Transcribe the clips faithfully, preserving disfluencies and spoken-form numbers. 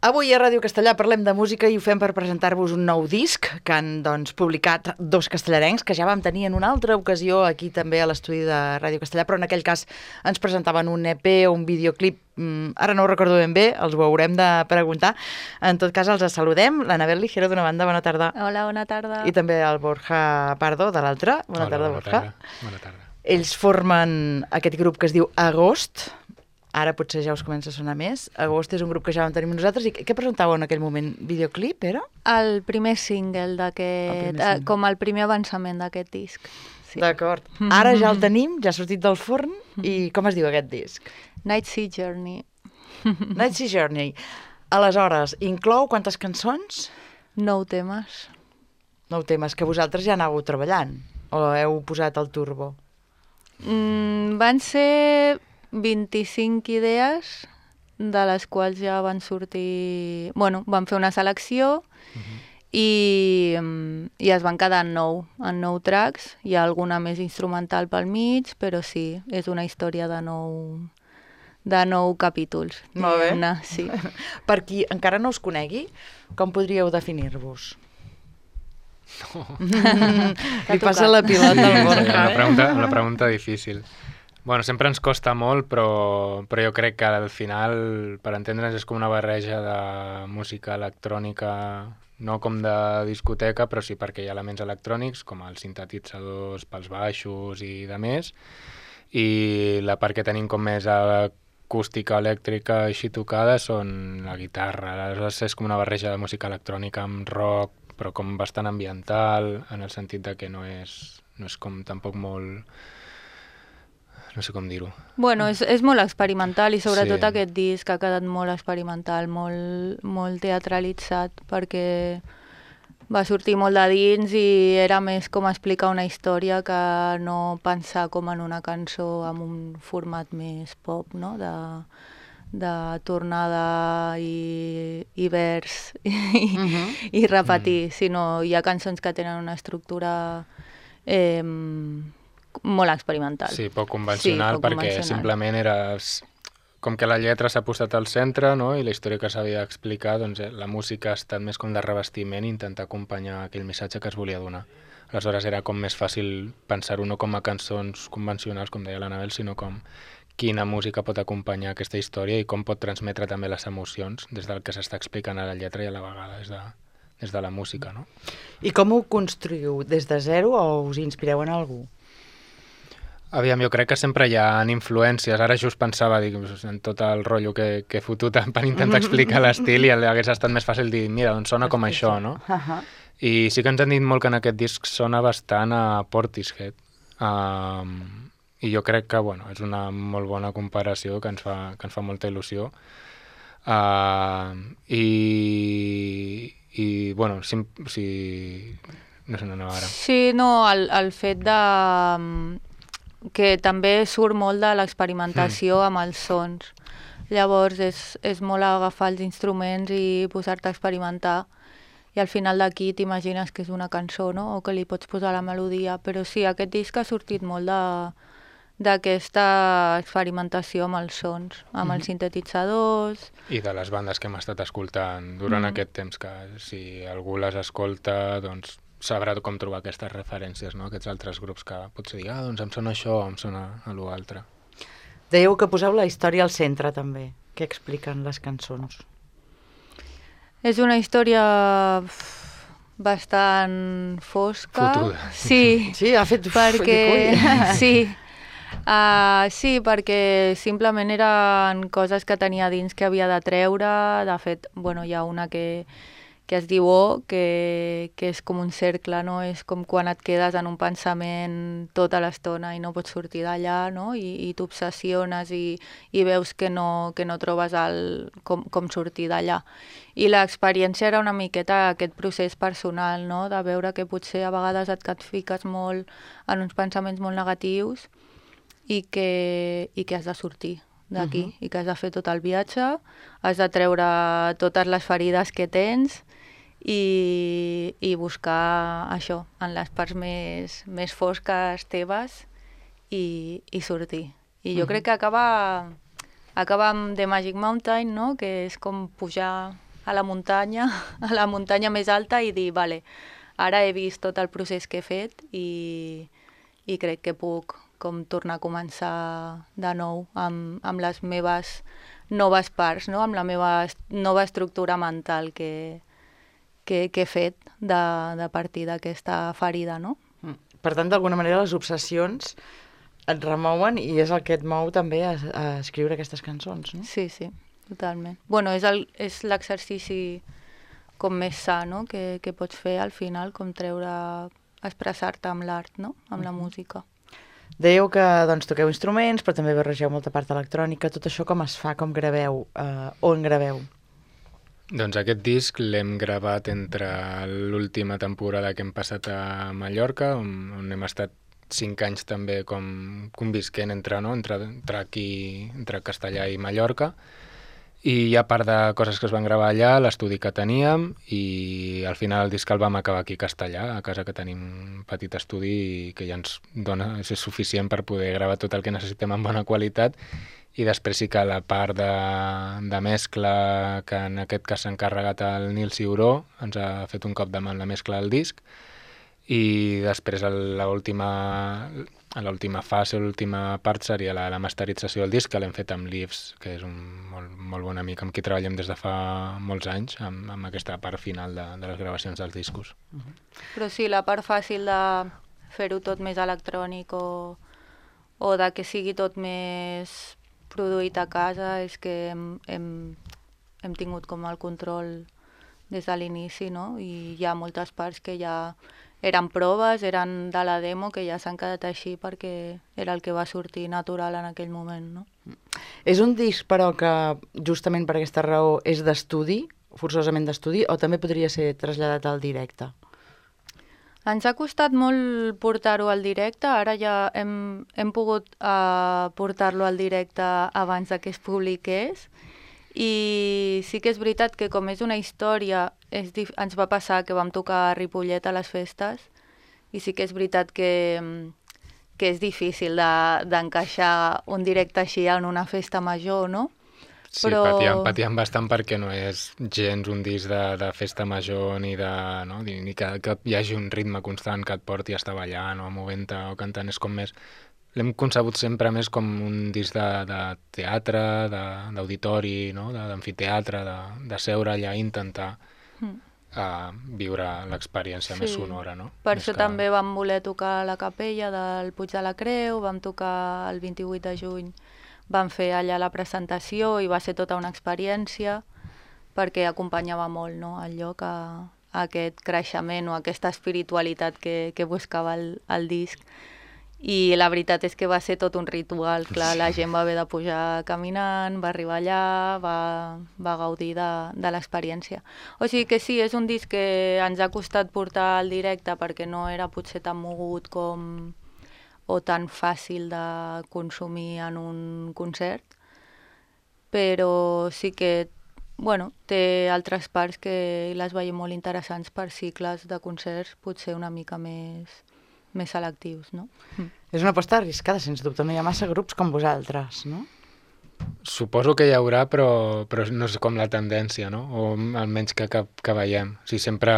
Avui a Ràdio Castellà parlem de música i ho fem per presentar-vos un nou disc que han doncs, publicat dos castellarencs que ja vam tenir en una altra ocasió aquí també a l'estudi de Ràdio Castellà, però en aquell cas ens presentaven un E P o un videoclip, mm, ara no ho recordo ben bé, els ho haurem de preguntar. En tot cas els saludem, l'Anabel Ligero d'una banda, bona tarda. Hola, bona tarda. I també el Borja Pardo de l'altra, bona Hola, tarda bona Borja. Tarda. Bona tarda. Ells formen aquest grup que es diu Agost. Ara potser ja us comença a sonar més. Agost és un grup que ja vam tenir nosaltres. I què presentàveu en aquell moment? Videoclip, era? El primer single d'aquest, single. com el primer avançament d'aquest disc. Sí. D'acord. Ara ja el tenim, ja ha sortit del forn. I com es diu aquest disc? Night Sea Journey. Night Sea Journey. Aleshores, inclou quantes cançons? Nou temes. Nou temes que vosaltres ja anàveu treballant. O heu posat el turbo? Mm, van ser vint-i-cinc idees, de les quals ja van sortir... Bueno, van fer una selecció uh-huh. i, i es van quedar en nou, en nou tracks. Hi ha alguna més instrumental pel mig, però sí, és una història de nou, de nou capítols. Molt bé. Una, sí. Per qui encara no us conegui, com podríeu definir-vos? No. Li passa la pilota al Borja. Sí, una pregunta, una pregunta difícil. Bueno, sempre ens costa molt, però, però jo crec que al final, per entendre'ns, és com una barreja de música electrònica, no com de discoteca, però sí perquè hi ha elements electrònics, com els sintetitzadors pels baixos i de més, i la part que tenim com més acústica, elèctrica, així tocada, són la guitarra. Aleshores és com una barreja de música electrònica amb rock, però com bastant ambiental, en el sentit de que no és, no és com tampoc molt... no sé com dir-ho. Bueno, és, és molt experimental i sobretot Sí. aquest disc ha quedat molt experimental, molt, molt teatralitzat, perquè va sortir molt de dins i era més com explicar una història que no pensar com en una cançó amb un format més pop, no? De, de tornada i, i vers i, uh-huh. i repetir, uh-huh. sinó hi ha cançons que tenen una estructura eh, molt experimental. Sí, poc convencional, sí, poc perquè convencional. Simplement era... Com que la lletra s'ha posat al centre, no?, i la història que s'havia d'explicar, doncs la música ha estat més com de revestiment i intentar acompanyar aquell missatge que es volia donar. Aleshores era com més fàcil pensar-ho no com a cançons convencionals, com deia l'Anabel, sinó com quina música pot acompanyar aquesta història i com pot transmetre també les emocions des del que s'està explicant a la lletra i a la vegada des de, des de la música, no? I com ho construïu? Des de zero o us inspireu en algú? Aviam, jo crec que sempre hi ha influències. Ara just pensava, dic, en tot el rotllo que, que he fotut per intentar explicar l'estil i hagués estat més fàcil dir, mira, doncs sona com això, no? Uh-huh. I sí que ens han dit molt que en aquest disc sona bastant a Portishead. Um, I jo crec que, bueno, és una molt bona comparació que ens fa, que ens fa molta il·lusió. Uh, i, i, bueno, si... si no sé, no anava ara. Sí, no, el, el fet de... que també surt molt de l'experimentació mm. amb els sons. Llavors és, és molt agafar els instruments i posar-te a experimentar i al final d'aquí t'imagines que és una cançó, no? O que li pots posar la melodia, però sí, aquest disc ha sortit molt de, d'aquesta experimentació amb els sons, amb mm. els sintetitzadors... I de les bandes que hem estat escoltant durant mm. aquest temps, que si algú les escolta, doncs sabrà com trobar aquestes referències, no? Aquests altres grups que potser dir, ah, doncs em sona això o em sona a l'altre. Dèieu que poseu la història al centre, també. Què expliquen les cançons? És una història bastant fosca. Fotuda. Sí. Sí, ha fet... Perquè... sí. Uh, sí, perquè simplement eren coses que tenia dins que havia de treure. De fet, bueno, hi ha una que... que es diu O, que, que és com un cercle, no? És com quan et quedes en un pensament tota l'estona i no pots sortir d'allà, no? I, i t'obsessiones i, i veus que no, que no trobes el, com, com sortir d'allà. I l'experiència era una miqueta aquest procés personal, no? De veure que potser a vegades et, et fiques molt en uns pensaments molt negatius i que, i que has de sortir d'aquí, uh-huh. i que has de fer tot el viatge, has de treure totes les ferides que tens i, i buscar això, en les parts més, més fosques teves i, i sortir. I jo uh-huh. crec que acaba, acaba amb The Magic Mountain, no? Que és com pujar a la muntanya, a la muntanya més alta i dir, vale, ara he vist tot el procés que he fet i, i crec que puc com tornar a començar de nou amb, amb les meves noves parts, no? Amb la meva nova estructura mental que, que, que he fet de, de partir d'aquesta ferida, no? Per tant, d'alguna manera, les obsessions et remouen i és el que et mou també a, a escriure aquestes cançons, no? Sí, sí, totalment. Bueno, és el, és l'exercici com més sa, no?, que, que pots fer al final, com treure, expressar-te amb l'art, no?, amb la música. Dèieu que doncs, toqueu instruments, però també barregeu molta part electrònica. Tot això com es fa, com graveu, eh, on graveu? Doncs aquest disc l'hem gravat entre l'última temporada que hem passat a Mallorca, on, on hem estat cinc anys també com convisquent entre, no? entre, entre aquí, entre Castellà i Mallorca, i hi ha part de coses que es van gravar allà, l'estudi que teníem, i al final el disc el vam acabar aquí a Castellà, a casa que tenim un petit estudi i que ja ens dona, és suficient per poder gravar tot el que necessitem en bona qualitat, i després sí que la part de, de mescla, que en aquest cas s'ha encarregat el Nil Ciuró, ens ha fet un cop de mà en la mescla del disc, i després l'última a l'última fase, l'última part seria la, la masterització del disc, que l'hem fet amb Leaves, que és un molt, molt bon amic amb qui treballem des de fa molts anys, amb, amb aquesta part final de, de les gravacions dels discos. Uh-huh. Però sí, la part fàcil de fer-ho tot més electrònic o, o de que sigui tot més produït a casa és que hem, hem, hem tingut com el control des de l'inici, no? I hi ha moltes parts que ja eren proves, eren de la demo, que ja s'han quedat així perquè era el que va sortir natural en aquell moment, no? És un disc, però, que justament per aquesta raó és d'estudi, forçosament d'estudi, o també podria ser traslladat al directe? Ens ha costat molt portar-ho al directe, ara ja hem, hem pogut uh, portar-lo al directe abans de que es publiqués, i sí que és veritat que com és una història, és dif... ens va passar que vam tocar a Ripollet a les festes, i sí que és veritat que, que és difícil d'encaixar de, un directe així en una festa major, no? Sí, Però... patíem, patíem bastant perquè no és gens un disc de, de festa major ni, de, no? ni, ni que, que hi hagi un ritme constant que et porti a estar ballant o movent-te o cantant, és com més... L'hem concebut sempre més com un disc de, de teatre, d'auditori, no? d'amfiteatre, de, de seure allà i intentar mm. uh, viure l'experiència sí. més sonora. No? Per més això que... també vam voler tocar a la capella del Puig de la Creu, vam tocar el vint-i-vuit de juny, vam fer allà la presentació i va ser tota una experiència perquè acompanyava molt, no? el lloc a, a aquest creixement o aquesta espiritualitat que, que buscava el, el disc. I la veritat és que va ser tot un ritual, clar, la gent va haver de pujar caminant, va arribar allà, va, va gaudir de, de l'experiència. O sigui que sí, és un disc que ens ha costat portar al directe perquè no era potser tan mogut com o tan fàcil de consumir en un concert, però sí que bueno, té altres parts que les veiem molt interessants per cicles de concerts, potser una mica més... més selectius, no? Mm. És una aposta arriscada, sens dubte. No hi ha massa grups com vosaltres, no? Suposo que hi haurà, però, però no és com la tendència, no? O almenys que, que, que veiem. O sigui, sempre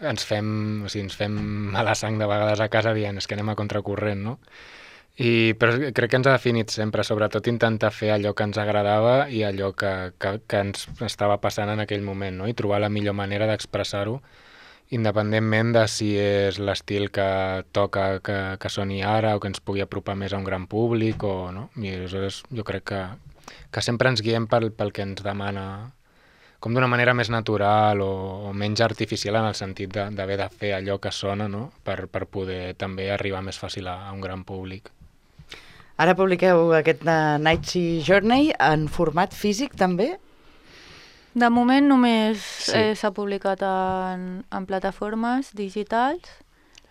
ens fem, o sigui, ens fem mala sang de vegades a casa dient és que anem a contracorrent, no? I, però crec que ens ha definit sempre, sobretot intentar fer allò que ens agradava i allò que, que, que ens estava passant en aquell moment, no? I trobar la millor manera d'expressar-ho independentment de si és l'estil que toca que, que soni ara o que ens pugui apropar més a un gran públic o no. I aleshores jo crec que, que sempre ens guiem pel, pel que ens demana com d'una manera més natural o, o menys artificial en el sentit d'haver de, de fer allò que sona, no? per, per poder també arribar més fàcil a, a un gran públic. Ara publiqueu aquest uh, Night Sea Journey en format físic també? De moment només s'ha sí. eh, publicat en, en plataformes digitals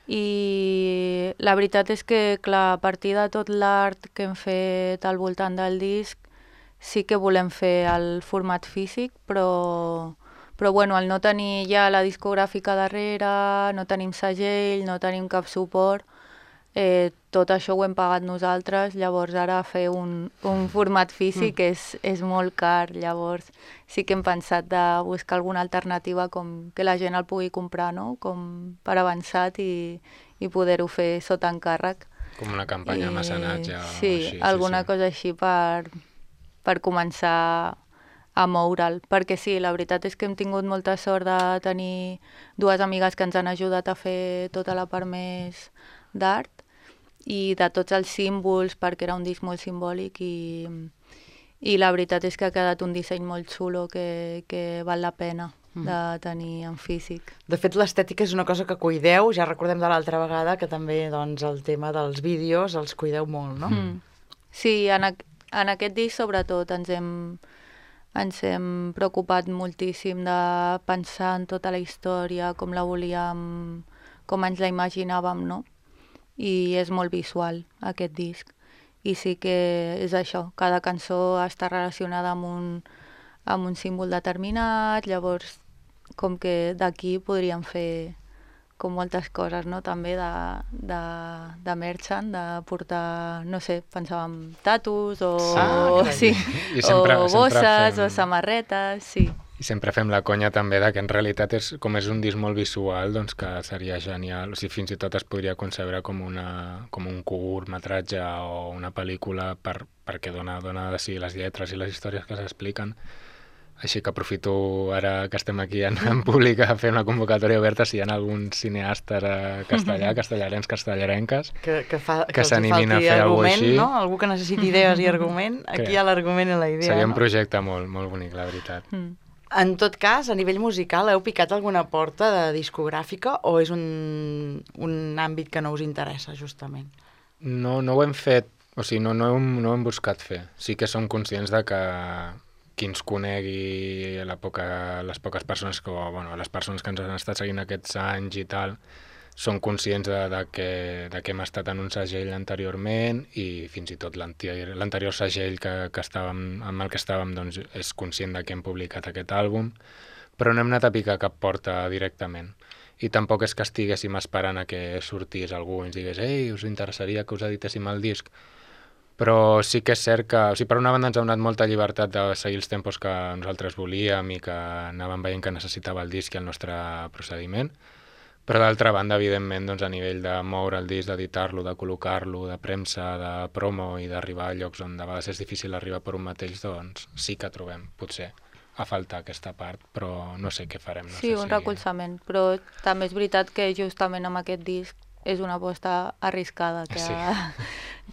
i la veritat és que, clar, a partir de tot l'art que hem fet al voltant del disc sí que volem fer el format físic, però, però bueno, al no tenir ja la discogràfica darrere, no tenim segell, no tenim cap suport, eh, tot això ho hem pagat nosaltres, llavors ara fer un, un format físic mm. és, és molt car, llavors sí que hem pensat de buscar alguna alternativa com que la gent el pugui comprar, no? Com per avançat i, i poder-ho fer sota encàrrec. Com una campanya de mecenatge. Sí, així, alguna sí, sí. cosa així per, per començar a moure'l, perquè sí, la veritat és que hem tingut molta sort de tenir dues amigues que ens han ajudat a fer tota la part més d'art i de tots els símbols, perquè era un disc molt simbòlic i, i la veritat és que ha quedat un disseny molt xulo que, que val la pena de tenir en físic. De fet, l'estètica és una cosa que cuideu, ja recordem de l'altra vegada que també doncs, el tema dels vídeos els cuideu molt, no? Mm. Sí, en, a, en aquest disc sobretot ens hem, ens hem preocupat moltíssim de pensar en tota la història, com la volíem, com ens la imaginàvem, no? I és molt visual, aquest disc. I sí que és això, cada cançó està relacionada amb un, amb un símbol determinat, llavors com que d'aquí podríem fer com moltes coses, no? També de, de, de merchant, de portar, no sé, pensàvem tatus o, Ah, o, carai. sí, I sempre- o sempre bosses fem- o samarretes, sí. I sempre fem la conya també de que en realitat és, com és un disc molt visual, doncs que seria genial, o sigui, fins i tot es podria concebre com, una, com un curtmetratge o una pel·lícula per, perquè dona, dona de si les lletres i les històries que s'expliquen. Així que aprofito ara que estem aquí en, en públic a fer una convocatòria oberta si hi ha alguns cineastes a castellà, castellarens, castellarenques, Que, que, fa, Que que els hi s'animin a falti fer alguna argument, cosa així. no? Algú que necessiti idees i argument, aquí Que hi ha l'argument i la idea, seria un no? projecte molt, molt bonic, la veritat. Mm. En tot cas, a nivell musical, heu picat alguna porta de discogràfica o és un, un àmbit que no us interessa, justament? No, no ho hem fet, o sigui, no, no, hem, no ho hem buscat fer. Sí que som conscients de que qui ens conegui, la poca, les poques persones que, o, bueno, les persones que ens han estat seguint aquests anys i tal, són conscients de, de, que, de que hem estat en un segell anteriorment i fins i tot l'anterior l'anterior segell que, que estàvem, amb el que estàvem doncs, és conscient de que hem publicat aquest àlbum, però no hem anat a picar cap porta directament. I tampoc és que estiguéssim esperant a que sortís algú i ens digués «Ei, us interessaria que us editéssim el disc?» Però sí que és cert que, o sigui, per una banda ens ha donat molta llibertat de seguir els tempos que nosaltres volíem i que anàvem veient que necessitava el disc i el nostre procediment, però d'altra banda, evidentment, doncs, a nivell de moure el disc, d'editar-lo, de col·locar-lo, de premsa, de promo i d'arribar a llocs on de vegades és difícil arribar per un mateix, doncs sí que trobem, potser, a faltar aquesta part, però no sé què farem. No Sí, sé un si... recolzament, però també és veritat que justament amb aquest disc és una aposta arriscada, que, Sí.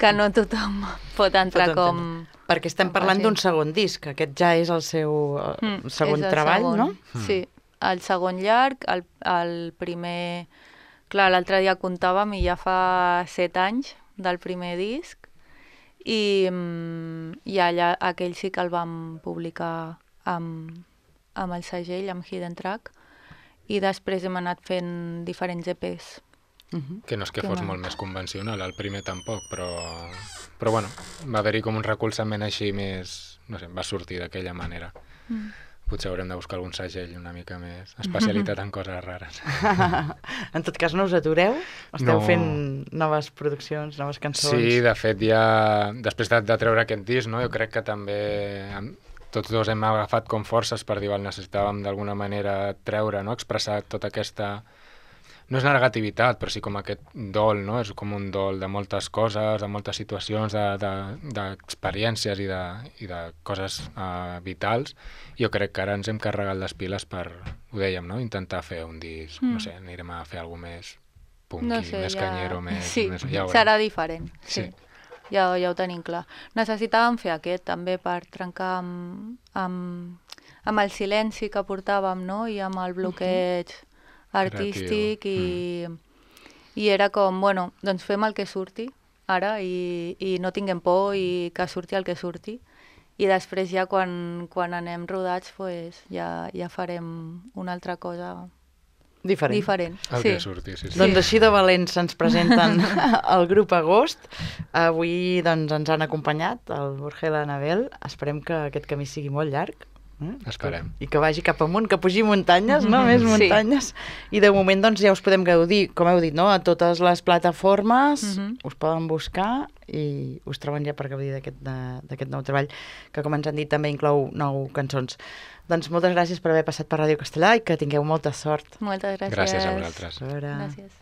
que no tothom pot entrar Pot com... entendre. Perquè estem com parlant facin. d'un segon disc, aquest ja és el seu eh, Mm, segon és el treball, segon. no? Sí, el segon llarg, el, el primer... Clar, l'altre dia comptàvem i ja fa set anys del primer disc i, mm, i allà aquell sí que el vam publicar amb, amb el segell, amb Hidden Track, i després hem anat fent diferents E Pes. Uh-huh. Que no és que Que fos no. molt més convencional, el primer tampoc, però, però bueno, va haver-hi com un recolzament així més, no sé, va sortir d'aquella manera. Mm. Potser haurem de buscar algun segell una mica més especialitat en coses rares. En tot cas, no us atureu? Esteu No. fent noves produccions, noves cançons? Sí, de fet, ja després de, de treure aquest disc, no, jo crec que també hem- tots dos hem agafat com forces per dir, val, necessitàvem d'alguna manera treure, no, expressar tota aquesta... No és negativitat, però sí com aquest dol, no? És com un dol de moltes coses, de moltes situacions, d'experiències de, de, i, de, i de coses uh, vitals. Jo crec que ara ens hem carregat les piles per, ho dèiem, no? Intentar fer un disc, mm. no sé, anirem a fer alguna més punky, No sé, més ja... canyero, més... Sí, més ja ho serà veurem. diferent, sí. Sí. Ja, ja ho tenim clar. Necessitàvem fer aquest també per trencar amb, amb, amb el silenci que portàvem, no? I amb el bloqueig artístic i, mm. i era com, bueno, doncs fem el que surti ara i, i no tinguem por i que surti el que surti i després ja quan, quan anem rodats pues, ja, ja farem una altra cosa Diferent. diferent. El sí. que surti, sí, sí. Doncs així de valents se'ns presenten el grup Agost. Avui doncs, ens han acompanyat el Borja i l'Anabel. Esperem que aquest camí sigui molt llarg. Eh? Esperem. I que vagi cap amunt, que pugi muntanyes, no? Més muntanyes. Sí. I de moment doncs, ja us podem gaudir, com heu dit, no? A totes les plataformes, mm-hmm. us poden buscar i us troben ja per gaudir d'aquest nou treball, que com ens han dit també inclou nou cançons. Doncs moltes gràcies per haver passat per Ràdio Castellà i que tingueu molta sort. Moltes gràcies. Gràcies a vosaltres. A veure... Gràcies.